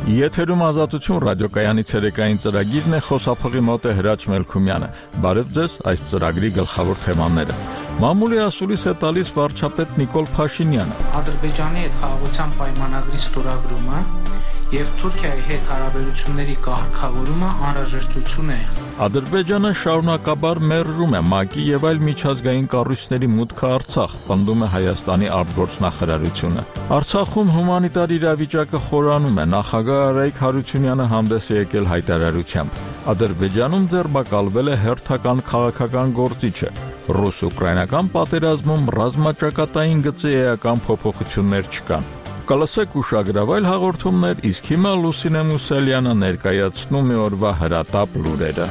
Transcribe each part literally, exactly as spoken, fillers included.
Եթերում ազատություն ռադիոկայանի ցերեկային ծրագիրն է, խոսափողի մոտ է Հրաչ Մելքումյանը։ Բարև ձեզ, այս ծրագրի գլխավոր թեմաները։ Մամուլի ասուլիս է տալիս վարչապետ Նիկոլ Փաշինյանը։ Ադրբեջանի հետ խաղաղության պայմանագրի ստորագրումը եւ Թուրքիայի հետ հարաբերությունների կարգավորումը անհրաժեշտություն է։ Ադրբեջանը շարունակաբար մերժում է ՄԱԿ-ի եւ այլ միջազգային կառույցների մուտքը Արցախ, պնդում է Հայաստանի արտգործնախարարությունը։ Արցախում հումանիտար իրավիճակը խորանում է, նախագահ Արայիկ Հարությունյանը հանդես է եկել հայտարարությամբ։ Ադրբեջանում ձերբակալվել է հերթական քաղաքական գործիչը։ Ռուս-ուկրաինական պատերազմում ռազմաճակատային գծի էական փոփոխություններ չկան։ Կլսեք ուշագրավայր հաղորդումներ, իսկ հիմա Լուսինե Մուսալյանը ներկայացնում է օրվա հրատապ լուրերը։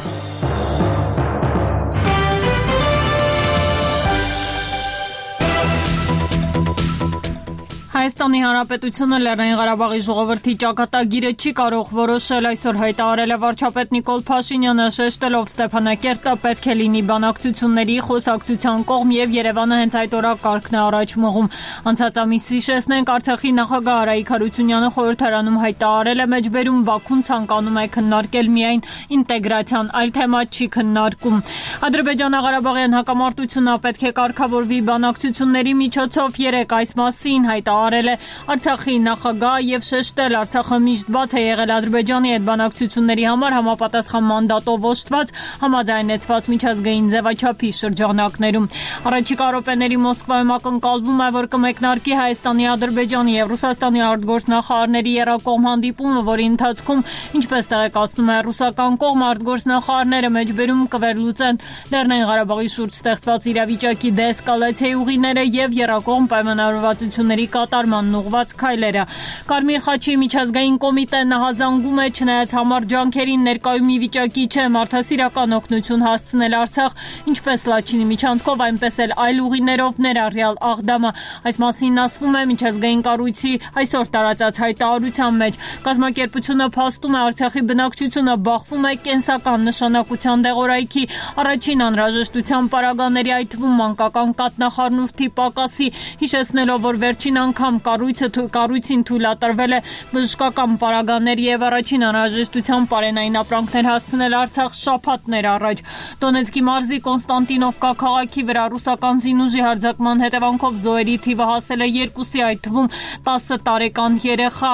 Հայաստանի Հանրապետությունը Լեռնային Ղարաբաղի ժողովրդի ճակատագիրը չի կարող որոշել, այսօր հայտարարել է վարչապետ Նիկոլ Փաշինյանը, շեշտելով Ստեփանակերտը պետք է լինի բանակցությունների խոսակցության կողմ եւ Երևանը հենց այդ օրակարգն է առաջ մղում։ Անցած ամիս հիշեցնենք, Արցախի նախագահ Արայիկ Հարությունյանը խորհրդարանում հայտարարել է մեջբերում Բաքուն ցանկանում է քննարկել միայն ինտեգրացիան, այլ թեմա չի քննարկում։ Ադրբեջանա-Ղարաբաղյան հակամարտությունը պետք է կարգավորվի բանակցությունների միջոցով, երեք այս մասին հայտարարել է Արցախի նախագահ եւ շեշտել, Արցախը միշտ բաց է եղել Ադրբեջանի հետ բանակցությունների համար համապատասխան մանդատով օժտված համաձայնեցված միջազգային ձևաչափի շրջանակներում։ Առաջիկա րոպեների Մոսկվայում ակնկալվում է, որ կմեկնարկի Հայաստանի, Ադրբեջանի եւ Ռուսաստանի արտգործնախարարների երակողմ հանդիպումը, որի ընթացքում, ինչպես տեղեկացնում է ռուսական կողմը, արտգործնախարարները մեջբերում կվերլուծեն Լեռնային Ղարաբաղի շուրջ ստեղծված իրավիճակի դեսկալացիայի ուղիները եւ երակողմ պայմանավորվածությունների կատարմանն ուղղված քայլերը։ Կարմիր խաչի միջազգային կոմիտեն նահանջում է, չնայած համառ ջանքերին ներկայում մի վիճակի չէ մարդասիրական օգնություն հասցնել Արցախ, ինչպես Լաչինի միջանցքով, այնպես էլ այլ ուղիներով, ներառյալ Աղդամը։ Այս մասին ասվում է միջազգային կառույցի այսօր տարածած հայտարարության մեջ։ Կազմակերպությունը փաստում է, Արցախի բնակչությունը բախվում է կենսական նշանակության դեղորայքի, առաջին անհրաժեշտության պարագաների, այդ թվում մանկական կաթնախառնուրդի պակասի, հիշեցնելով, որ վերջին անգամ կառույցը կառույցին թույլատրվել է բժշկական պարագաներ եւ առաջին անհրաժեշտության պարենային ապրանքներ հասցնել Արցախ շաբաթներ առաջ։ Դոնեցկի մարզի Կոնստանտինովկա քաղաքի վրա ռուսական զինուժի հարձակման հետևանքով զոհերի թիվը հասել է երկուսի, այդ թվում տասը տարեկան երեխա։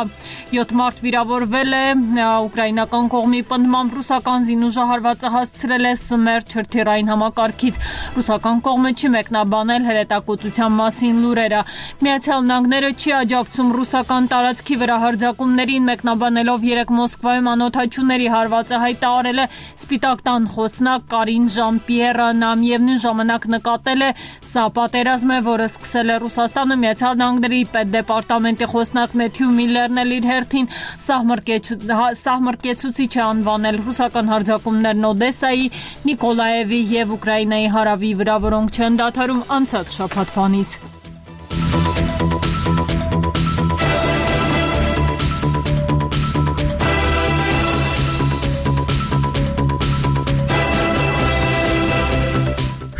յոթ մարդ վիրավորվել է, ուկրաինական կողմի պնդմամբ ռուսական զինուժը հարվածը հասցրել է Սմերջ հրթիռային համակարգից։ Ռուսական կողմը չի մեկնաբանել հրետակոծության մասին լուրերը։ Միացյալ Նահանգները չի աջակցում ռուսական տարածքի վրա հարձակումներին, մեկնաբանելով երեք Մոսկվայում անօդաչուների հարվածը հայտարարել է Սպիտակ տան խոսնակ Կարին Ժան-Պիերը, նա միևնույն ժամանակ նկատել է, սա պատերազմ է, որը սկսել է Ռուսաստանը։ Միացյալ Նահանգների պետդեպարտամենտի խոսնակ Մեթյու Միլլերն էլ իր հերթին սահմռկեցուցիչ է անվանել ռուսական հարձակումներն Օդեսայի, Նիկոլաևի եւ Ուկրաինայի հարավի վրա, որոնք չեն դադարում անցած շաբաթվանից։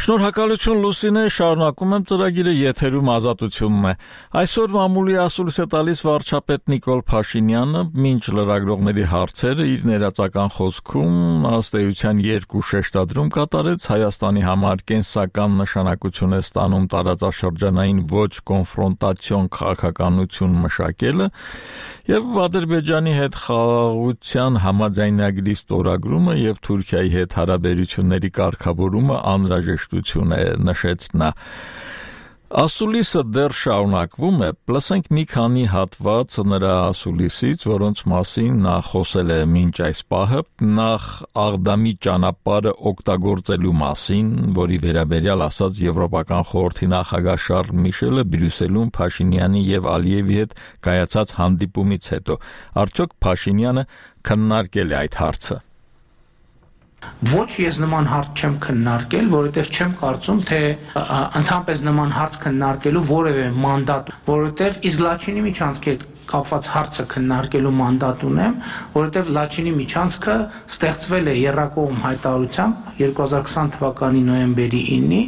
Շնորհակալություն Լուսինե, շարունակում եմ ծրագիրը, եթերում ազատությունն է։ Այսօր մամուլի ասուլիս է տալիս վարչապետ Նիկոլ Փաշինյանը, մինչ լրագրողների հարցերը իր ներածական խոսքում ըստ էության երկու շեշտադրում կատարեց, Հայաստանի համար կենսական նշանակություն է ստանում տարածաշրջանային ոչ կոնֆրոնտացիոն քաղաքականություն մշակելը եւ Ադրբեջանի հետ խաղաղության համաձայնագրի ստորագրումը եւ Թուրքիայի հետ հարաբերությունների կարգավորումը անհրաժեշտություն է, նշեց նա։ Ասուլիսը դեռ շարունակվում է, լսենք մի քանի հատված նրա ասուլիսից, որոնց մասին նա խոսել է մինչ այս պահը, նախ Աղդամի ճանապարհը օգտագործելու մասին, որի վերաբերյալ ասաց Եվրոպական խորհրդի նախագահ Շարլ Միշելը Բրյուսելում Փաշինյանի եւ Ալիևի հետ կայացած հանդիպումից հետո։ Արդյոք Փաշինյանը քննարկել է այդ հարցը։ Ոչ, ես նման հարց չեմ քննարկել, որովհետև չեմ կարծում, թե ընդհանրապես նման հարց քննարկելու որևէ մանդատ, որովհետև Իզլաչինի միջանցքի հետ կապված հարցը քննարկելու մանդատ ունեմ, որովհետև Լաչինի միջանցքը ստեղծվել է եռակողմ հայտարարությամբ երկու հազար քսան թվականի նոյեմբերի ինը,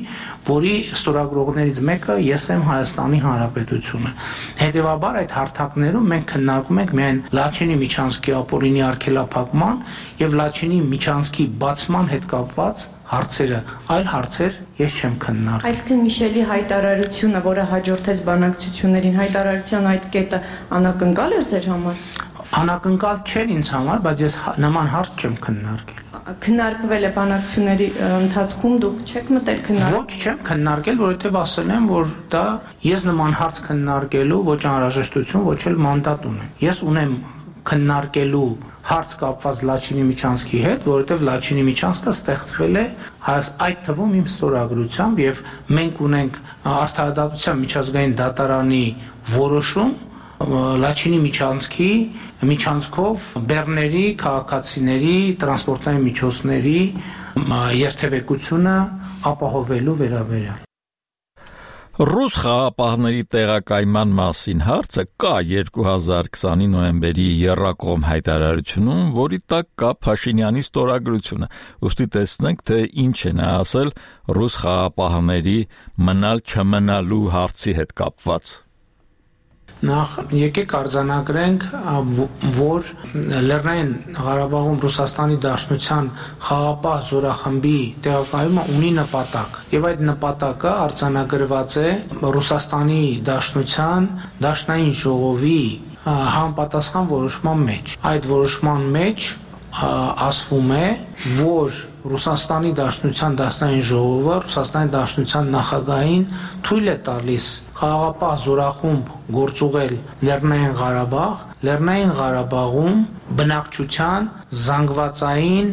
որի ստորագրողներից մեկը ես եմ Հայաստանի Հանրապետությունը։ Հետևաբար այդ հարթակներում մենք քննարկում ենք միայն Լաչինի միջանցքի ապօրինի արգելափակման եւ Լաչինի միջանցքի բացման հետ կապված հարցերը, այլ հարցեր ես չեմ քննարկում։ Այսինքն Միշելի հայտարարությունը, որը հաջորդեց բանակցություններին, հայտարարության այդ կետը անակնկալ էր ձեր համար։ Անակնկալ չէր ինձ համար, բայց ես նման հարց չեմ քննարկել։ Քննարկվել է բանակցությունների ընթացքում, դուք չեք մտել քննարկել։ Ոչ, չեմ քննարկել, որովհետև ասել եմ, որ դա ես նման հարց քննարկելու ոչ անհրաժեշտություն, ոչ էլ մանդատ ունեմ։ Ես ունեմ քննարկելու հարց կապված Լաչինի միջանցքի հետ, որովհետև Լաչինի միջանցքը ստեղծվել է այդ թվում իմ ստորագրությամբ եւ մենք ունենք Արդարադատության միջազգային դատարանի որոշում Լաչինի միջանցքի միջանցքով բեռների, քաղաքացիների, տրանսպորտային միջոցների երթևեկությունը ապահովելու վերաբերյալ։ Ռուս խաղապահների տեղակայման մասին հարցը կա երկու հազար քսանի նոյեմբերի եռակողմ հայտարարությունում, որի տակ կա Փաշինյանի ստորագրությունը։ Ուստի տեսնենք, թե ինչ է նա ասել ռուս խաղապահների մնալ չմնալու հարցի հետ կապված։ Նախ եկեք արձանագրենք, որ Լեռնային Ղարաբաղում Ռուսաստանի Դաշնության խաղապահ զորախմբի տեղակայումը ունի նպատակ, եւ այդ նպատակը արձանագրված է Ռուսաստանի Դաշնության Դաշնային ժողովի համապատասխան որոշման մեջ։ Այդ որոշման մեջ ասվում է, որ Ռուսաստանի Դաշնության Դաշնային ժողովը Ռուսաստանի Դաշնության նախագահին թույլ է տալիս խաղապահ զորախումբ գործուղել Լեռնային Ղարաբաղ, Լեռնային Ղարաբաղում բնակչության զանգվածային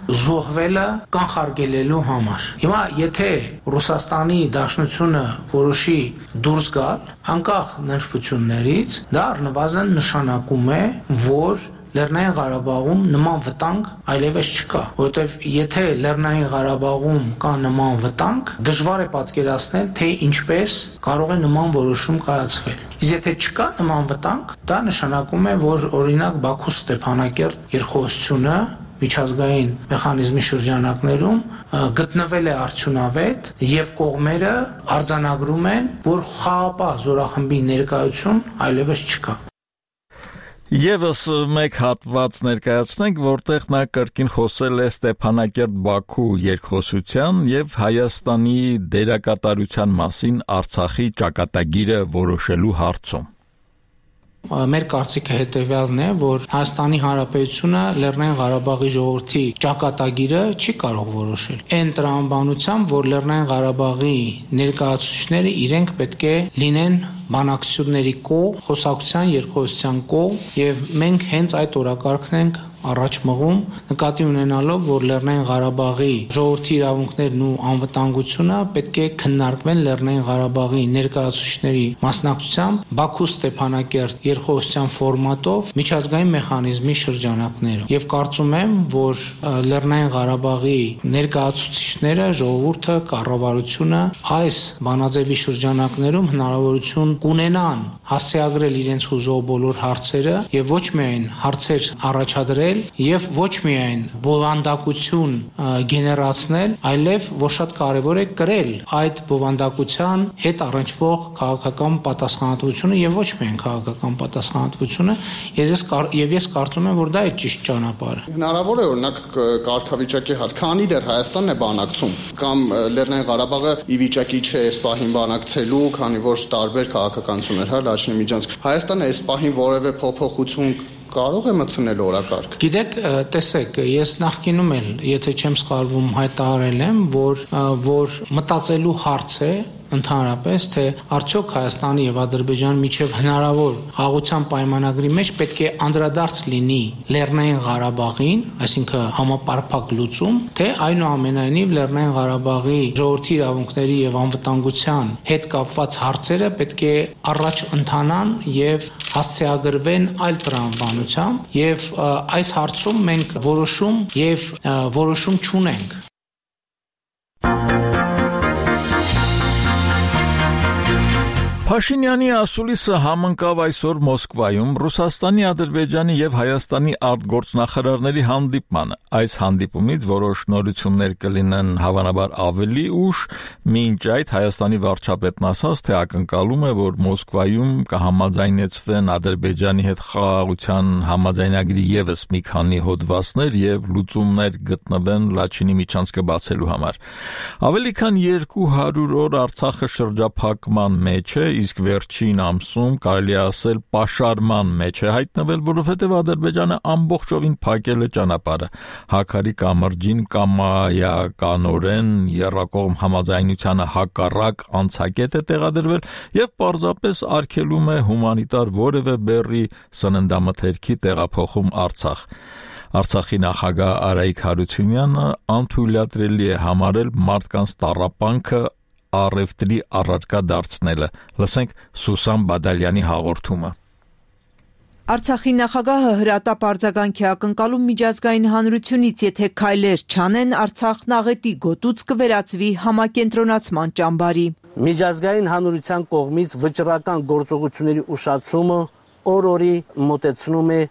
զոհվելը կանխարգելելու համար։ Հիմա եթե Ռուսաստանի Դաշնությունը որոշի դուրս գալ անկախ նրբություններից, դա առնվազն նշանակում է, որ Լեռնային Ղարաբաղում նման վտանգ այլևս չկա, որովհետև եթե Լեռնային Ղարաբաղում կա նման վտանգ, դժվար է պատկերացնել, թե ինչպես կարող է նման որոշում կայացվել։ Իսկ եթե չկա նման վտանգ, դա նշանակում է, որ օրինակ Բաքու Ստեփանակերտ երկխոսությունը միջազգային մեխանիզմի շրջանակներում գտնվել է արդյունավետ եւ կողմերը արձանագրում են, որ խաղապահ զորախմբի ներկայություն այլևս չկա։ Եվս մեկ հատված ներկայացնենք, որտեղ նա կրկին խոսել է Ստեփանակերտ-Բաքու երկխոսության եւ Հայաստանի դերակատարության մասին Արցախի ճակատագիրը որոշելու հարցում։ Մեր կարծիքը հետևյալն է, որ Հայաստանի Հանրապետությունը Լեռնային Ղարաբաղի ժողովրդի ճակատագիրը չի կարող որոշել։ Այն տրամաբանությամբ, որ Լեռնային Ղարաբաղի ներկայացուցիչները իրենք պետք է լինեն բանակցությունների կողմ, խոսակցության, երկխոսության կողմ, եւ մենք հենց այդ օրակարգն ենք առաջ մղում, նկատի ունենալով, որ Լեռնային Ղարաբաղի ժողովրդի իրավունքներն ու անվտանգությունը պետք է քննարկվեն Լեռնային Ղարաբաղի ներկայացուցիչների մասնակցությամբ Բաքու Ստեփանակերտ երկխոսության ֆորմատով միջազգային մեխանիզմի շրջանակներում։ Եվ կարծում եմ, որ Լեռնային Ղարաբաղի ներկայացուցիչները, ժողովուրդը, կառավարությունը այս բանաձևի շրջանակներում հնարավորություն կունենան հասցեագրել իրենց հուզող բոլոր հարցերը եւ ոչ միայն հարցեր առաջադրել եւ ոչ միայն բովանդակություն գեներացնել, այլև որ շատ կարեւոր է կրել այդ բովանդակության հետ առնչվող քաղաքական պատասխանատվությունը եւ ոչ միայն քաղաքական պատասխանատվությունը, ես եւ ես կարծում եմ, որ դա է ճիշտ ճանապարհը։ Հնարավոր է օրինակ կարգավիճակի հարց, քանի դեռ Հայաստանն է բանակցում, կամ Լեռնային Ղարաբաղը ի վիճակի չէ այս պահին բանակցելու, քանի որ տարբեր քաղաքականություններ, հա, Լաչինի միջանցք։ Հայաստանը այս պահին որևէ փոփոխություն կարող է մտցնել օրակարգ։ Գիտեք, տեսեք, ես նախկինում էլ, եթե չեմ սխալվում, հայտարարել եմ, որ որ մտածելու հարց է ընդհանրապես, թե արդյոք Հայաստանի եւ Ադրբեջանի միջև հնարավոր հաղորդության պայմանագրի մեջ պետք է անդրադարձ լինի Լեռնային Ղարաբաղին, այսինքն համապարփակ լուծում, թե այնուամենայնիվ Լեռնային Ղարաբաղի ժողովրդի իրավունքների եւ անվտանգության հետ կապված հարցերը պետք է առաջ ընթանան եւ հասցեագրվեն այլ տրամաբանությամբ եւ այս հարցում մենք որոշում եւ որոշում չունենք։ Փաշինյանի ասուլիսը համընկավ այսօր Մոսկվայում Ռուսաստանի, Ադրբեջանի եւ Հայաստանի արտգործնախարարների հանդիպմանը։ Այս հանդիպումից որոշ նորություններ կլինեն հավանաբար ավելի ուշ, մինչ այդ Հայաստանի վարչապետն ասաց, թե ակնկալում է, որ Մոսկվայում կհամաձայնեցվեն Ադրբեջանի հետ խաղաղության համաձայնագրի եւս մի քանի հոդվածներ եւ լուծումներ գտնվեն Լաչինի միջանցքը բացելու համար։ Ավելի քան երկու հարյուր օր Արցախը շրջափակման մեջ է, իսկ վերջին ամսում կարելի ասել պաշարման մեջ է հայտնվել, որովհետև Ադրբեջանը ամբողջովին փակել է ճանապարհը։ Հակարի կամրջին կամայականորեն եռակողմ համաձայնությանը հակառակ անցակետ է տեղադրվել եւ պարզապես արգելում է հումանիտար որևէ բեռի սննդամթերքի տեղափոխում Արցախ։ Արցախի նախագահ Արայիկ Հարությունյանը անթույլատրելի է համարել մարդկանց տառապանքը առևտրի առարկա դարձնելը։ Լսենք Սուսան Բադալյանի հաղորդումը։ Արցախի նախագահը հրատապ արձագանք է ակնկալում միջազգային հանրությունից, եթե քայլեր չանեն, Արցախն աղետի գոտուց կվերածվի համակենտրոնացման ճամբարի։ Միջազգային հանրության կողմից վճռական գործողությունների ուշացումը օր-օրի մոտեցնում է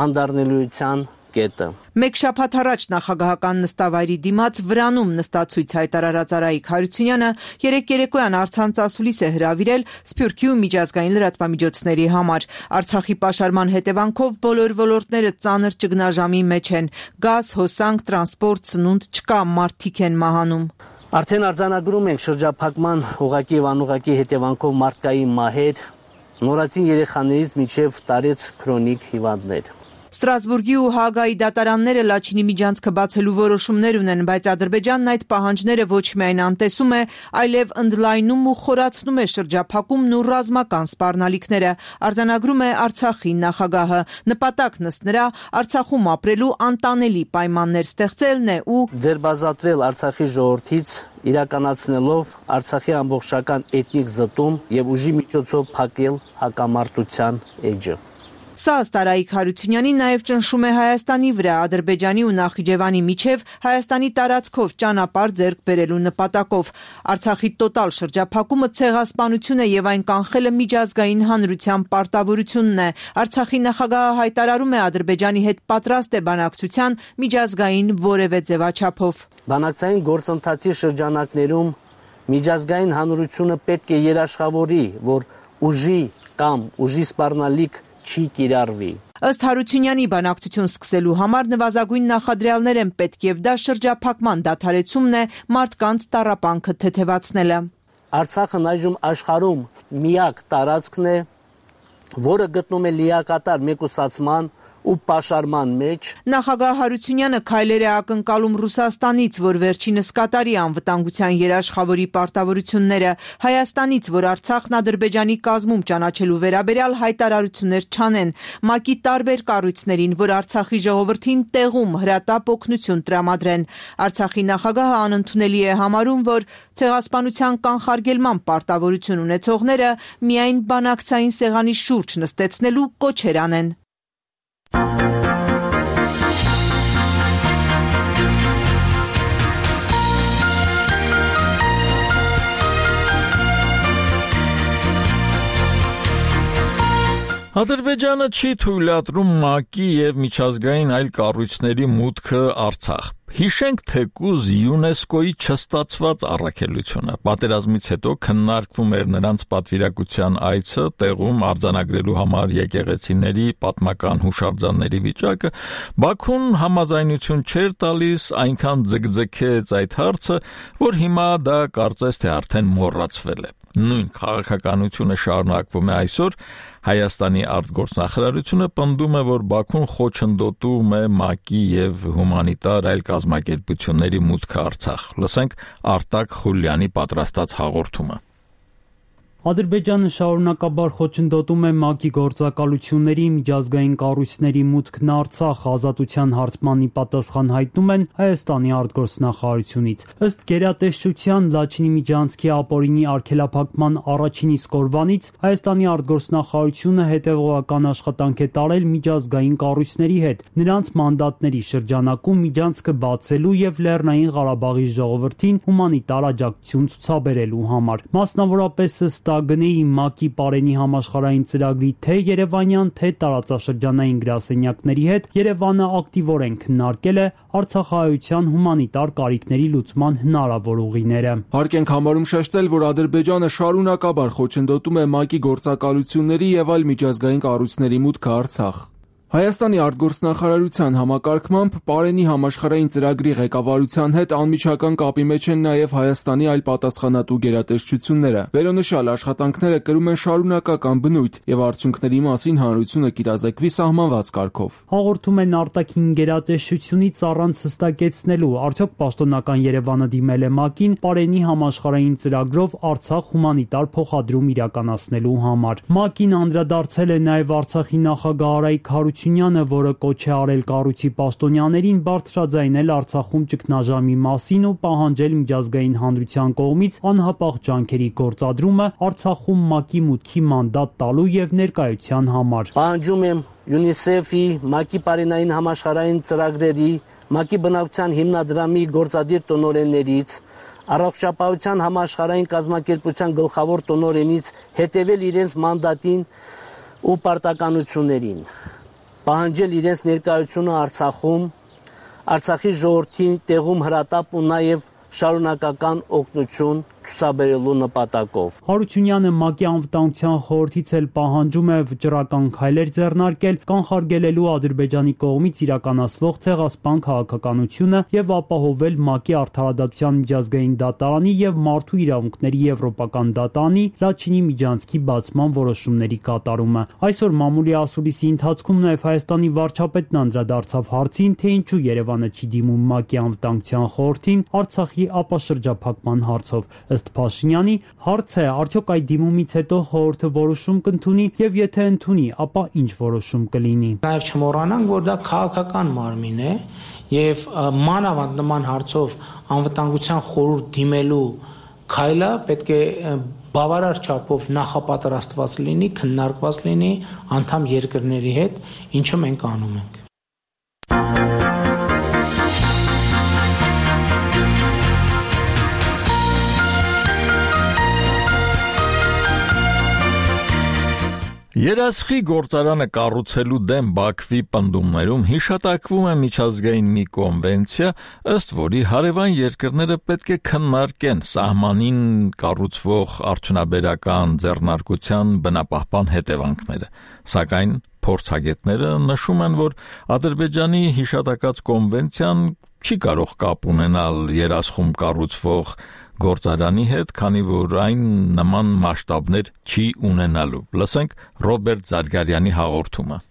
անդառնելիության կետը։ Մեկ շաբաթ առաջ նախագահական նստավայրի դիմաց Վրանում նստացույց հայտարարած Արայիկ Հարությունյանը երեկ երեկոյան առցանց ասուլիս է հրավիրել Սփյուռքի ու միջազգային լրատվամիջոցների համար։ Արցախի պաշարման հետևանքով բոլոր ոլորտները ծանր ճգնաժամի մեջ են։ Գազ, հոսանք, տրանսպորտ, սնունդ չկա, մարդիկ են մահանում։ Արդեն արձանագրում ենք շրջափակման ուղղակի եւ անուղղակի հետևանքով մարդկային մահեր, նորածին երեխաներից մինչեւ տարեց քրոնիկ հիվանդներ։ Ստրասբուրգի ու Հաագայի դատարանները Լաչինի միջանցքը բացելու որոշումներ ունեն, բայց Ադրբեջանն այդ պահանջները ոչ միայն անտեսում է, այլև ընդլայնում ու խորացնում է շրջափակումն ու ռազմական սպառնալիքները, արձանագրում է Արցախի նախագահը։ Նպատակն ըստ նրա Արցախում ապրելու անտանելի պայմաններ ստեղծելն է ու ձերբազատվել Արցախի ժողովրդից, իրականացնելով Արցախի ամբողջական էթնիկ զտում եւ ուժի միջոցով փակել հակամարտության էջը։ Սա ըստ Արայիկ Հարությունյանի նաև ճնշում է Հայաստանի վրա Ադրբեջանի ու Նախիջևանի միջև Հայաստանի տարածքով ճանապարհ ձեռք բերելու նպատակով։ Արցախի տոտալ շրջափակումը ցեղասպանություն է եւ այն կանխելը միջազգային հանրության պարտավորությունն է։ Արցախի նախագահը հայտարարում է Ադրբեջանի հետ պատրաստ է բանակցության միջազգային որևէ ձևաչափով։ Բանակցային գործընթացի շրջանակներում միջազգային հանրությունը պետք է երաշխավորի, որ ուժի կամ ուժի սպառնալիք չի կիրառվի։ Ըստ Հարությունյանի բանակցություն սկսելու համար նվազագույն նախադրյալներ են պետք եւ դա շրջափակման դադարեցումն է, մարդկանց տառապանքը թեթևացնելը։ Արցախն այժմ աշխարհում միակ տարածքն է, որը գտնում է լիակատար մեկուսացման ու պաշարման մեջ։ Նախագահ Հարությունյանը քայլեր է ակնկալում Ռուսաստանից, որ վերջինս կատարի անվտանգության երաշխավորի պարտավորությունները, Հայաստանից, որ Արցախն Ադրբեջանի կազմում ճանաչելու վերաբերյալ հայտարարություններ չանեն, ՄԱԿ-ի տարբեր կառույցներին, որ Արցախի ժողովրդին տեղում հրատապ օգնություն տրամադրեն։ Արցախի նախագահը անընդունելի է համարում, որ ցեղասպանության կանխարգելման պարտավորություն ունեցողները միայն բանակցային սեղանի շուրջ նստեցնելու կոչեր անեն։ Ադրբեջանը չի թույլատրում ՄԱԿ-ի եւ միջազգային այլ կառույցների մուտքը Արցախ։ Հիշենք թեկուզ ՅՈՒՆԵՍԿՕ-ի չստացված առաքելությունը։ Պատերազմից հետո քննարկվում էր նրանց պատվիրակության այցը տեղում արձանագրելու համար եկեղեցիների պատմական հուշարձանների վիճակը։ Բաքուն համաձայնություն չէր տալիս, այնքան ձգձգեց այդ հարցը, որ հիմա դա կարծես թե արդեն մոռացվել է։ Նույն քաղաքականությունը շարունակվում է այսօր։ Հայաստանի արտգործնախարարությունը պնդում է, որ Բաքուն խոչընդոտում է ՄԱԿ-ի եւ հումանիտար այլ կազմակերպությունների մուտքը Արցախ։ Լսենք Արտակ Խուլյանի պատրաստած հաղորդումը։ Ադրբեջանը շարունակաբար խոչընդոտում է ՄԱԿ-ի գործակալությունների, միջազգային կառույցների մուտքն Արցախ, ազատության հարցմանի պատասխան հայտնում են Հայաստանի արտգործնախարարությունից։ Ըստ գերատեսչության Լաչինի միջանցքի ապօրինի արգելափակման առաջին իսկ օրվանից Հայաստանի արտգործնախարարությունը հետևողական աշխատանք է տարել միջազգային կառույցների հետ, նրանց մանդատների շրջանակում միջանցքը բացելու եւ Լեռնային Ղարաբաղի ժողովրդին հումանիտար աջակցություն ցուցաբերելու համար։ Մասնավորապես ըստ նստագնեի ՄԱԿ-ի Պարենի համաշխարհային ծրագրի թե երևանյան, թե տարածաշրջանային գրասենյակների հետ Երևանը ակտիվորեն քննարկել է արցախահայության հումանիտար կարիքների լուծման հնարավոր ուղիները։ Հարկ ենք համարում շեշտել, որ Ադրբեջանը շարունակաբար խոչընդոտում է ՄԱԿ-ի գործակալությունների եւ այլ միջազգային կառույցների մուտքը Արցախ։ Հայաստանի արտգործնախարարության համակարգմամբ Պարենի համաշխարհային ծրագրի ղեկավարության հետ անմիջական կապի մեջ են նաև Հայաստանի այլ պատասխանատու գերատեսչությունները։ Վերոնշյալ աշխատանքները կրում են շարունակական բնույթ եւ արդյունքների մասին հանրությունը կիրազեկվի սահմանված կարգով։ Հաղորդում են արտաքին գերատեսչությունից առանց հստակեցնելու, արդյոք պաշտոնական Երևանը դիմել է ՄԱԿ-ին Պարենի համաշխարհային ծրագրով Արցախ հումանիտար փոխադրում իրականացնելու համար։ ՄԱԿ-ին անդրադարձել է նաև Արցախի նախագահ Արայիկ Հարությունյանը, որը կոչ է արել կառույցի պաշտոնյաներին բարձրաձայնել Արցախում ճգնաժամի մասին ու պահանջել միջազգային հանրության կողմից անհապաղ ջանքերի գործադրումը Արցախում ՄԱԿ-ի մուտքի մանդատ տալու եւ ներկայության համար։ Պահանջում եմ ՅՈՒՆԻՍԵՖ-ի, ՄԱԿ-ի Պարենային համաշխարհային ծրագրերի, ՄԱԿ-ի բնակչության հիմնադրամի գործադիր տնօրեններից, Առողջապահության համաշխարհային կազմակերպության գլխավոր տնօրենից հետևել իրենց մանդատին ու պարտականություններին, պահանջել իրենց ներկայությունը Արցախում, Արցախի ժողովրդին տեղում հրատապ ու նաև շարունակական օգնություն ցուցաբերելու նպատակով։ Հարությունյանը ՄԱԿ-ի անվտանգության խորհրդից էլ պահանջում է վճռական քայլեր ձեռնարկել, կանխարգելելու Ադրբեջանի կողմից իրականացվող ցեղասպան քաղաքականությունը եւ ապահովել ՄԱԿ-ի արդարադատության միջազգային դատարանի եւ մարդու իրավունքների եվրոպական դատարանի Լաչինի միջանցքի բացման որոշումների կատարումը։ Այսօր մամուլի ասուլիսի ընթացքում նաեւ Հայաստանի վարչապետն անդրադարձավ հարցին, թե ինչու Երևանը չի դիմում ՄԱԿ-ի անվտանգության խորհրդին Արցախի ապաշրջափակման հարցով։ Ըստ Փաշինյանի, հարց է, արդյոք այդ դիմումից հետո խորհուրդը որոշում կընդունի եւ եթե ընդունի, ապա ինչ որոշում կլինի։ Նաեւ չմոռանանք, որ դա քաղաքական մարմին է եւ մանավանդ նման հարցով անվտանգության խորհուրդ դիմելու քայլը պետք է բավարար չափով նախապատրաստված լինի, քննարկված լինի անդամ երկրների հետ, ինչը մենք անում ենք։ Երասխի գործարանը կառուցելու դեմ Բաքվի պնդումներում հիշատակվում է միջազգային մի կոնվենցիա, ըստ որի հարևան երկրները պետք է քննարկեն սահմանին կառուցվող արդյունաբերական ձեռնարկության բնապահպան հետևանքները, սակայն փորձագետները նշում են, որ Ադրբեջանի հիշատակած կոնվենցիան չի կարող կապ ունենալ երասխում կառուցվող գործարանի հետ, քանի որ այն նման մասշտաբներ չի ունենալու։ Լսենք Ռոբերտ Զարգարյանի հաղորդումը։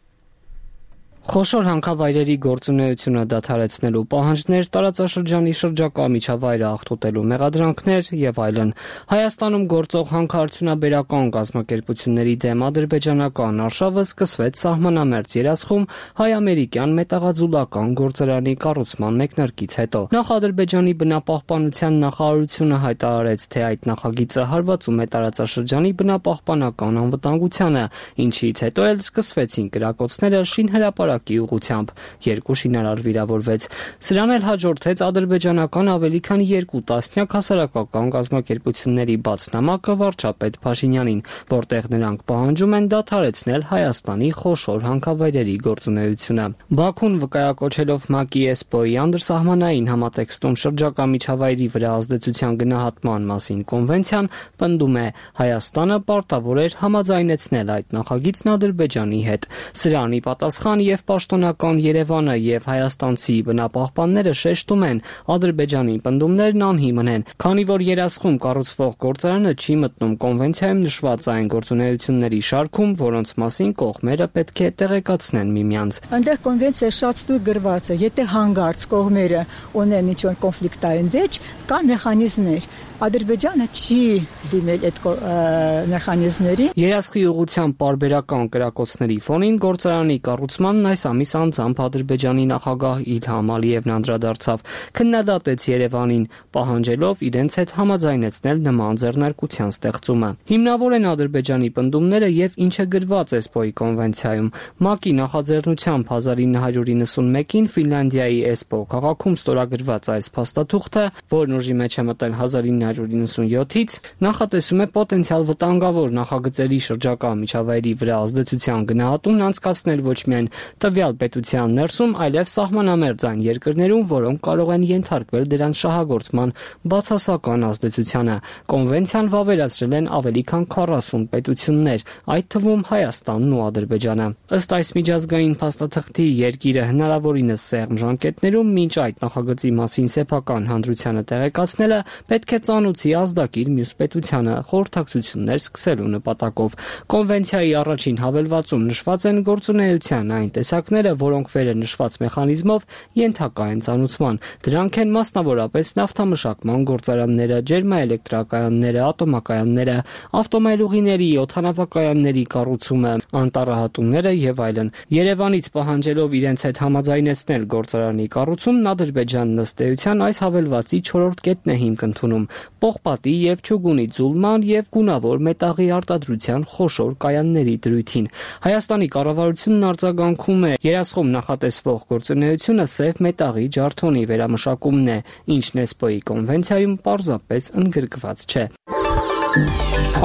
Խոշոր հանքավայրերի գործունեությունը դադարեցնելու պահանջներ, տարածաշրջանի շրջակա միջավայրը աղտոտելու մեղադրանքներ եւ այլն։ Հայաստանում գործող հանքարդյունաբերական կազմակերպությունների դեմ ադրբեջանական արշավը սկսվեց սահմանամերձ երասխում հայ-ամերիկյան մետաղաձուլական գործարանի կառուցման մեկնարկից հետո։ Նախ Ադրբեջանի բնապահպանության նախարարությունը հայտարարեց, թե այդ նախագիծը հարվածում է տարածաշրջանի բնապահպանական անվտանգությանը, ինչից հետո էլ սկսվեցին կրակոցները շինհրապարակ ուղղությամբ, երկու շինարար վիրավորվեց։ Սրան էլ հաջորդեց ադրբեջանական ավելի քան երկու տասնյակ հասարակական կազմակերպությունների բաց նամակը վարչապետ Փաշինյանին, որտեղ նրանք պահանջում են դադարեցնել Հայաստանի խոշոր հանքավայրերի գործունեությունը։ Բաքուն վկայակոչելով ՄԱԿ-ի էսպոյի անդրսահմանային համատեքստում շրջակա միջավայրի վրա ազդեցության գնահատման մասին կոնվենցիան, պնդում է Հայաստանը պարտավոր էր համաձայնեցնել այդ նախագիծն Ադրբեջանի հետ։ Սրանի պատասխան եւ պաշտոնական Երևանը եւ հայաստանցի բնապահպանները շեշտում են, Ադրբեջանի պնդումներն անհիմն են, քանի որ երասխում կառուցվող գործարանը չի մտնում կոնվենցիայում նշված այն գործունեությունների շարքում, որոնց մասին կողմերը պետք է տեղեկացնեն միմյանց։ Այնտեղ կոնվենցիա շատ ստույգ գրված է, եթե հանգարց կողմերը ունեն ինչ-որ կոնֆլիկտային վեճ, կա մեխանիզմներ։ Ադրբեջանը չի դիմել այդ մեխանիզմներին։ Երասխի ուղղությամբ պարբերական կրակոցների ֆոնին գործարանի կառուցմանն այս ամիս անձամբ Ադրբեջանի նախագահ Իլհամ Ալիևն անդրադարձավ, քննադատեց Երևանին, պահանջելով իրենց հետ համաձայնեցնել նման ձեռնարկության ստեղծումը։ Հիմնավոր են Ադրբեջանի պնդումները եւ ինչ է գրված էսպոյի կոնվենցիայում։ ՄԱԿ-ի նախաձեռնությամբ հազար ինը հարյուր իննսունմեկին Ֆինլանդիայի Էսպո քաղաքում ստորագրված այս փաստաթուղթը, որն ուժի մեջ է մտել հազար ինը իննսուն իննսունյոթից նախատեսում է պոտենցիալ վտանգավոր նախագծերի շրջակա միջավայրի վրա ազդեցության գնահատումն անցկացնել ոչ միայն տվյալ պետության ներսում, այլև սահմանամերձ այն երկրներում, որոնք կարող են ենթարկվել դրանց շահագործման բացասական ազդեցությանը։ Կոնվենցիան վավերացրել են ավելի քան քառասուն պետություններ, այդ թվում Հայաստանն ու Ադրբեջանը։ Ըստ այս միջազգային փաստաթղթի երկիրը հնարավորինս սեղմ ժամկետներում մինչ այդ նախագծի մասին սեփական հանրությանը տեղեկացնելը պետք է ծանուցի ազդակիր մյուս պետությանը խորհրդակցություններ սկսելու նպատակով։ Կոնվենցիայի առաջին հավելվածում նշված են գործունեության այն տեսակները, որոնք վերը նշված մեխանիզմով ենթակա են ծանուցման։ Դրանք են մասնավորապես նավթամշակման գործարանները, ջերմաէլեկտրակայանները, ատոմակայանները, ավտոմայլուղիների, օդանավակայանների կառուցումը, անտառահատումները եւ այլն։ Երևանից պահանջելով իրենց հետ համաձայնեցնել գործարանի կառուցումն Ադրբեջանն ըստ էության այս հավելվածի չորրորդ կետն է հիմք ընդունում պողպատի եւ չուգունի ձուլման եւ գունավոր մետաղի արտադրության խոշոր կայանների դրույթին։ Հայաստանի կառավարությունն արձագանքում է երասխում նախատեսվող գործունեությունը սև մետաղի ջարդոնի վերամշակումն է, ինչն էսպոյի կոնվենցիայում պարզապես ընդգրկված չէ։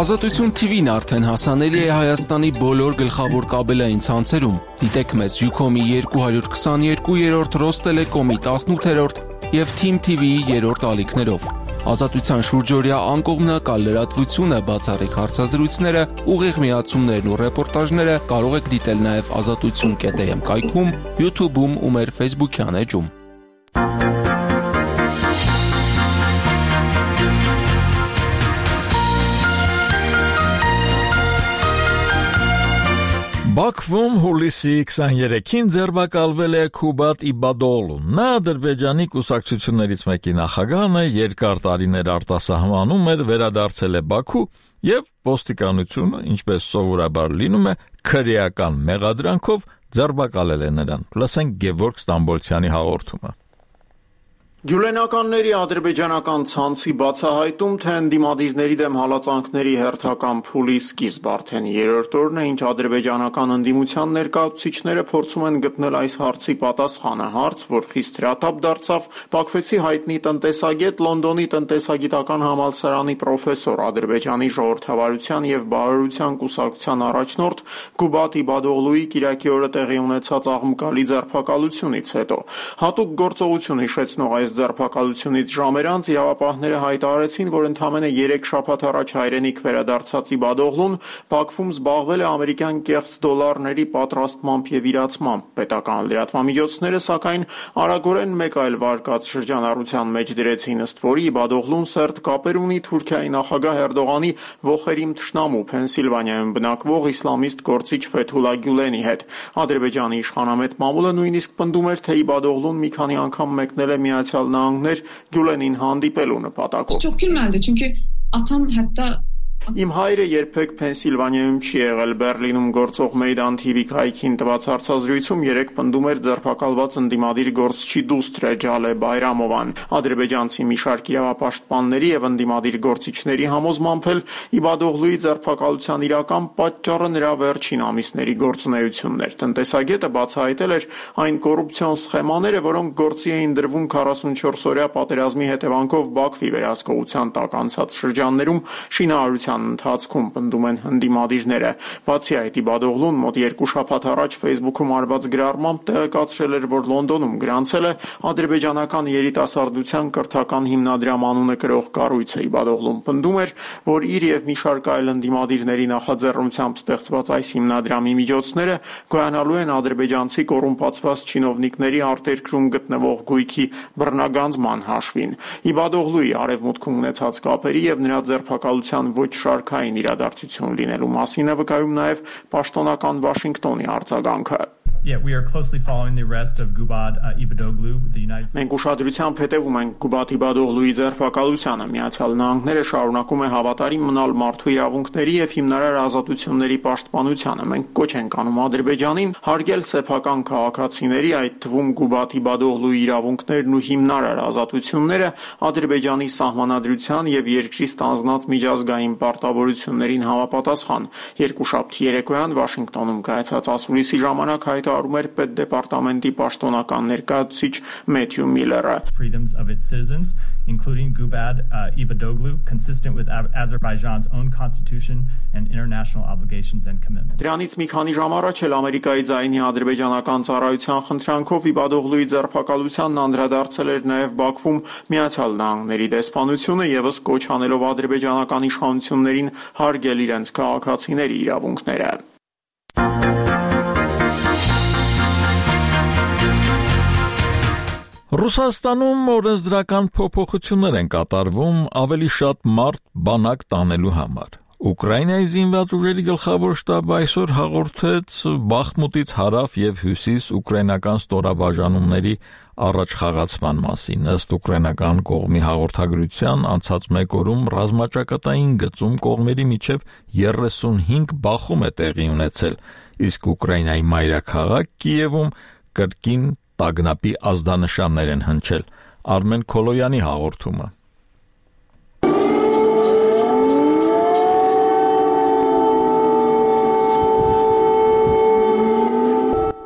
Ազատություն թիվին արդեն հասանելի է Հայաստանի բոլոր գլխավոր կաբելային ցանցերում։ Դիտեք մեզ Ucom-ի երկու հարյուր քսաներկու, Ռոստելեկոմի տասնութերորդ եւ Թիմ թի վիի երրորդ ալիքներով։ Ազատության շուրջօրյա անկողմնակալ լրատվությունը, բացառիկ հարցազրույցները, ուղիղ միացումներն ու ռեպորտաժները կարող եք դիտել նաև ազատություն կետ էմ կայքում, YouTube-ում ու մեր Facebook-յան էջում։ Բաքվում հուլիսի քսաներեքին ձերբակալվել է Քուբատ Իբադօղլուն։ Նա Ադրբեջանի կուսակցություններից մեկի նախագահն է, երկար տարիներ արտասահմանում էր, վերադարձել է Բաքու եւ ոստիկանությունը, ինչպես սովորաբար լինում է, քրեական մեղադրանքով ձերբակալել է նրան։ Լսենք Գևորգ Ստամբոլցյանի հաղորդումը։ Գյուլենականների ադրբեջանական ցանցի բացահայտում, թե ընդդիմադիրների դեմ հալածանքների հերթական փուլի սկիզբ արդեն երրորդ օրն է, ինչ ադրբեջանական ընդդիմության ներկայացուցիչները փորձում են գտնել այս հարցի պատասխանը, հարց, որ խիստ հրատապ դարձավ Բաքվեցի հայտնի տնտեսագետ, Լոնդոնի տնտեսագիտական համալսարանի պրոֆեսոր, Ադրբեջանի ժողովրդավարության եւ բարոյության կուսակցության առաջնորդ Քուբատ Իբադօղլուի կիրակի օրը տեղի ունեցած աղմկալի ձերբակալությունից հետո։ Հատուկ գործողություն հիշեցնող այս ձերբակալությունից ժամեր անց իրավապահները հայտարարեցին, որ ընդամենը երեք շաբաթ առաջ հայրենիք վերադարձած Իբադօղլուն Բաքվում զբաղվել է ամերիկյան կեղծ դոլարների պատրաստմամբ եւ իրացմամբ։ Պետական լրատվամիջոցները, սակայն, արագորեն մեկ այլ վարկած շրջանառության մեջ դրեցին, ըստ որի Իբադօղլուն սերտ կապեր ունի Թուրքիայի նախագահ Էրդողանի ոխերիմ թշնամու Փենսիլվանիայում բնակվող իսլամիստ գործիչ Ֆեթուլա Գյուլենի հետ։ Ադրբեջանի իշխանամետ մամուլը նույնիսկ պնդում էր, թե Իբադօղլուն մի քանի անգամ մեկնել է Միացյալ Նահանգներ Գյուլենին հանդիպելու նպատակով։ Çok gülmedi çünkü atam hatta Իմ հայրը երբեք Փենսիլվանիայում չի եղել, Բերլինում գործող Մեյդան թի վի կայքին տված հարցազրույցում երեք պնդում էր ձերբակալված ընդդիմադիր գործչի դուստրը Ջալե Բայրամովան։ Ադրբեջանցի մի շարք իրավապաշտպանների եւ ընդդիմադիր գործիչների համոզմամբ էլ Իբադօղլուի ձերբակալության իրական պատճառը նրա վերջին ամիսների գործունեությունն էր։ Տնտեսագետը բացահայտել էր այն կոռուպցիոն սխեմաները, որոնք գործի էին դրվում քառասունչորս օրյա պատերազմի հետևանքով Բաքվի վերահսկողության տակ անցած շրջաններում շինարարության ընթացքում, պնդում են ընդդիմադիրները։ Բացի այդ, Իբադօղլուն մոտ երկու շաբաթ առաջ Facebook-ում արված գրառմամբ տեղեկացրել էր, որ Լոնդոնում գրանցել է ադրբեջանական երիտասարդության կրթական հիմնադրամ անունը կրող կառույցը։ Իբադօղլուն պնդում էր, որ իր եւ մի շարք այլ ընդդիմադիրների նախաձեռնությամբ ստեղծված այս հիմնադրամի միջոցները գոյանալու են ադրբեջանցի կոռումպացված չինովնիկների արտերկրում գտնվող գույքի բռնագանձման հաշվին։ Իբադօղլուի արևմուտքում ունեցած կապերի եւ նրա ձերբակալության ոչ շարքային իրադարձություն լինելու մասին է վկայում նաև պաշտոնական Վաշինգտոնի արձագանքը։ Yeah, we are closely following the arrest of Gubad uh, Ibadoglu, the United States. Մենք ուշադրությամբ հետևում ենք Գուբատ Իբադօղլուի ձերբակալությանը։ Միացյալ Նահանգները շարունակում է հավատարիմ մնալ մարդու իրավունքների եւ հիմնարար ազատությունների պաշտպանությանը։ Մենք կոչ ենք անում Ադրբեջանին հարգել սեփական քաղաքացիների, այդ թվում Գուբատ Իբադօղլուի իրավունքներն ու հիմնարար ազատությունները, Ադրբեջանի սահմանադրության եւ երկրի ստանձնած միջազգային պարտավորություններին համապատասխան։ Երկուշաբթի երեկոյան Վաշինգտոնում կայացած ասուլիսի ժամանակ հայտ հայտարարում էր պետդեպարտամենտի պաշտոնական ներկայացուցիչ Մեթյու Միլլերը։ Freedoms of its citizens, including Gubad uh, Ibadoglu, consistent with Azerbaijan's own constitution and international obligations and commitments. Դրանից մի քանի ժամ առաջ էլ Ամերիկայի ձայնի ադրբեջանական ծառայության խնդրանքով Իբադօղլուի ձերբակալությանն անդրադարձել էր նաև Բաքվում Միացյալ Նահանգների դեսպանությունը եւս կոչ անելով ադրբեջանական իշխանություններին հարգել իրենց քաղաքացիների իրավունքները։ Ռուսաստանում օրենսդրական փոփոխություններ են կատարվում ավելի շատ մարդ բանակ տանելու համար։ Ուկրաինայի զինված ուժերի գլխավոր շտաբը այսօր հաղորդեց Բախմուտից հարավ եւ հյուսիս ուկրաինական ստորաբաժանումների առաջխաղացման մասին։ Ըստ ուկրաինական կողմի հաղորդագրության անցած մեկ օրում ռազմաճակատային գծում կողմերի միջև երեսունհինգ բախում է տեղի ունեցել, իսկ Ուկրաինայի մայրաքաղաք Կիևում կրկին տագնապի ազդանշաններ են հնչել։ Արմեն Քոլոյանի հաղորդումը։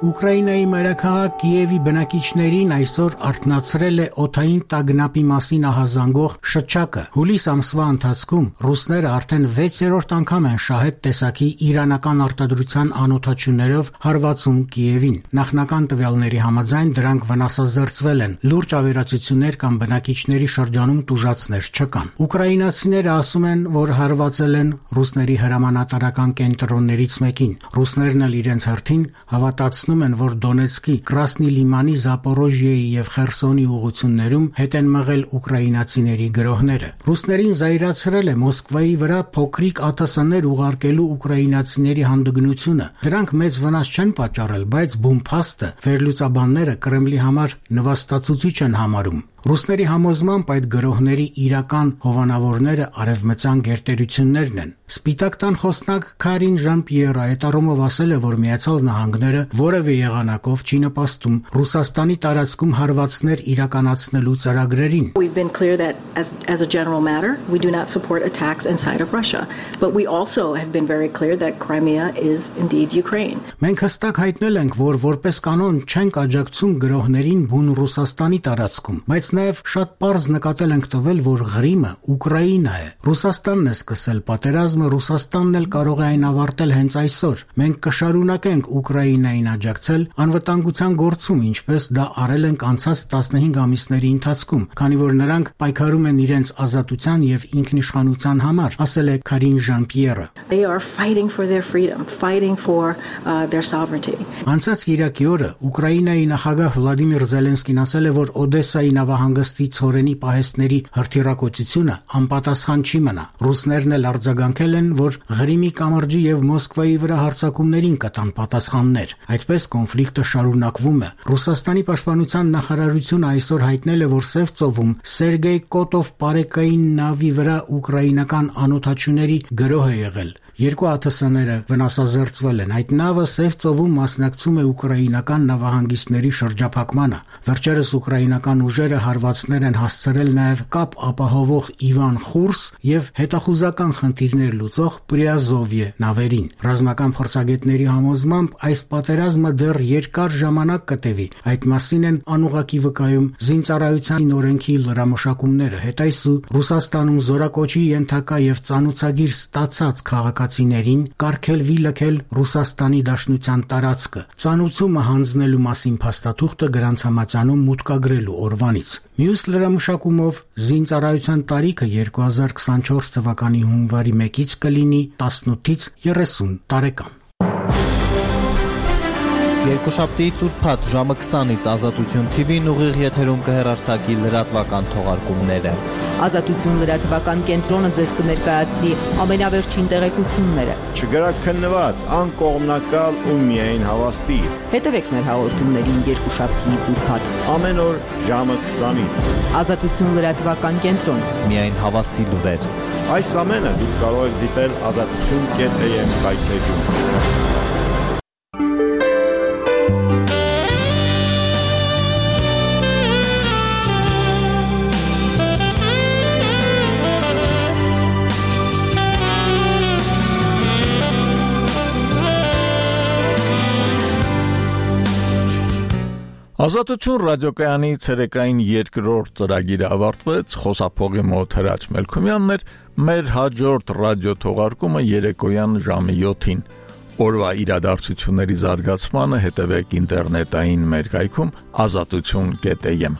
Ուկրաինայի մայրաքաղաք Կիևի բնակիչներին այսօր արթնացրել է օդային տագնապի մասին ահազանգող շչակը։ Հուլիս ամսվա ընթացքում ռուսները արդեն վեցերորդ անգամ են շահետ տեսակի իրանական արտադրության անօդաչուներով հարվածում Կիևին։ Նախնական տվյալների համաձայն դրանք վնասազերծվել են։ Լուրջ ավերածություններ կամ բնակիչների շրջանում տուժածներ չկան։ Ուկրաինացիները ասում են, որ հարվածել են ռուսների հրամանատարական կենտրոններից մեկին։ Ռուսներն էլ իրենց հերթին հավատացնում են, որ Դոնեցկի, Կրասնի Լիմանի, Զապորոժիեի եւ Խերսոնի ուղություններում հետ են մղել ուկրաինացիների գրոհները։ Ռուսներին զայրացրել է Մոսկվայի վրա փոքրիկ ԱԹՍ-ներ ուղարկելու ուկրաինացիների հանդգնությունը։ Դրանք մեծ վնաս չեն պատճառել, բայց բումփաստը վերլուծաբանները Կրեմլի համար նվաստացուցիչ են համարում։ Ռուսների համոզմամբ այդ գրոհների իրական հովանավորները արևմտյան գերտերություններն են։ Սպիտակ տան խոսնակ Կարին Ժան-Պիերը այտարումով ասել է, որ Միացյալ Նահանգները որևէ եղանակով չի նպաստում Ռուսաստանի տարածքում հարվածներ իրականացնելու ծրագրերին։ We've been clear that as as a general matter, we do not support attacks inside of Russia, but we also have been very clear that Crimea is indeed Ukraine. Մենք հստակ հայտնել ենք, որ որպես կանոն չենք աջակցում գրոհներին բուն Ռուսաստանի տարածքում, բայց նաև շատ պարզ նկատել ենք տվել, որ Ղրիմը Ուկրաինա է։ Ռուսաստանն է սկսել պատերազմը, Ռուսաստանն էլ կարող է այն ավարտել հենց այսօր։ Մենք կշարունակենք Ուկրաինային աջակցել անվտանգության գործում, ինչպես դա արել ենք անցած տասնհինգ ամիսների ընթացքում, քանի որ նրանք պայքարում են իրենց ազատության եւ ինքնիշխանության համար, ասել է Կարին Ժան-Պիերը։ They are fighting for their freedom, fighting for uh, their sovereignty. Անցած Կիրակի օրը Ուկրաինայի նախագահ Վլադիմիր Զելենսկին ասել է, որ Օդեսայի նավահանգստի ցորենի պահեստների հրթիռակոծությունը անպատասխան չի մնա։ Ռուսներն էլ արձագանքել են, որ Ղրիմի կամրջի եւ Մոսկվայի վրա հարձակումներին կտան պատասխաններ։ Այդպես կոնֆլիկտը շարունակվում է։ Ռուսաստանի պաշտպանության նախարարությունը այսօր հայտնել է, որ Սև ծովում Սերգեյ Կոտով պարեկային նավի վրա ուկրաինական անօդաչուների գրոհ է եղել։ Երկու ԱԹՍ-ները վնասազերծվել են։ Այդ նավը Սև ծովում մասնակցում է ուկրաինական նավահանգիստների շրջափակմանը։ Վերջերս ուկրաինական ուժերը հարվածներ են հասցրել նաև կապ ապահովող Իվան Խուրս եւ հետախուզական խնդիրներ լուծող Պրիազովյե նավերին։ Ռազմական փորձագետների համոզմամբ այս պատերազմը դեռ երկար ժամանակ կտևի։ Այդ մասին են անուղակի վկայում զինծառայության օրենքի լրամշակումները։ Հետայսու Ռուսաստանում զորակոչի ենթակա եւ ծանուցագիր ստացած քաղաքացիներին կարգելվի լքել Ռուսաստանի Դաշնության տարածքը։ Ծանուցումը հանձնելու մասին փաստաթուղթը գրանցամատյանում մուտքագրելու օրվանից։ Մյուս լրամշակումով զինծառայության տարիքը երկու հազար քսանչորս թվականի հունվարի մեկից կլինի տասնութից երեսուն տարեկան։ Երկուշաբթիից ուրբաթ ժամը քսանից Ազատություն Թի Վին ուղիղ եթերում կհեռարձակի լրատվական թողարկումները։ Ազատություն լրատվական կենտրոնը ձեզ կներկայացնի ամենավերջին տեղեկությունները։ Չգրաքննված, անկողմնակալ ու միայն հավաստի։ Հետևեք մեր հաղորդումներին երկուշաբթիից ուրբաթ ամեն օր ժամը քսանից։ Ազատություն լրատվական կենտրոն։ Միայն հավաստի լուրեր։ Այս ամենը դուք կարող եք դիտել ազատություն կետ էյ էմ կայքեջում։ Ազատություն ռադիոկայանի ցերեկային երկրորդ ծրագիրը ավարտվեց, խոսափողի մոտ Հրաչ Մելքումյանն էր, մեր հաջորդ ռադիո թողարկումը երեկոյան ժամը յոթին։ Օրվա իրադարձությունների զարգացմանը հետևեք ինտերնետային մեր կայքում ազատություն կետ am